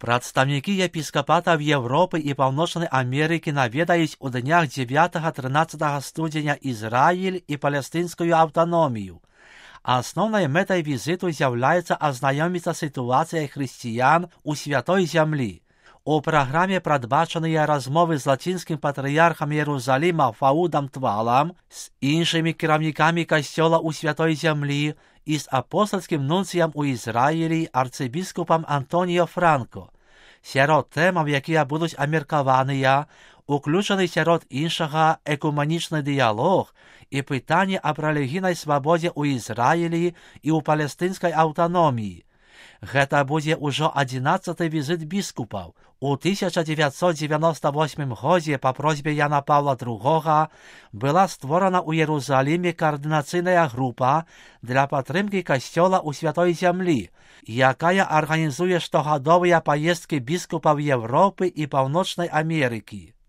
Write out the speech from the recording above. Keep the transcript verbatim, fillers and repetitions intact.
Прадстаўнікі епіскапатаў Европы і Паўночнай Амерыкі наведаюць у днях дзевятага-трынаццатага студзеня Ізраіль і палестынскую аўтаномію. Асноўнай мэтай візіту з'яўляецца азнаёміцца сітуацыяй хрысціян у святой зямлі. У праграме прадбачаныя размовы з лацінскім патрыярхам Іерусаліма Фаудам Твалам, з іншымі кіраўнікамі касцёла ў святой зямлі і з апостальскім нунцыям у Ізраілі арцыбіскупам Антоніо Франко. Сярод тэмаў, якія будуць абмеркаваныя, уключаны сярод іншага экуманічны дыялог і пытанне аб рэлігійнай свабодзе ў Ізраілі і ў палестынскай аўтаноміі. Гэта будзе ўжо адзінаццаты візіт біскупаў. У тысяча дзевяцьсот дзевяноста восьмым годзе па просьбе Яна Паўла другога была створана ў Іерусаліме каардынацыйная група для падтрымкі касцёла ў святой зямлі, якая арганізуе штогадовыя паездкі біскупаў Европы і Паўночнай Амерыкі.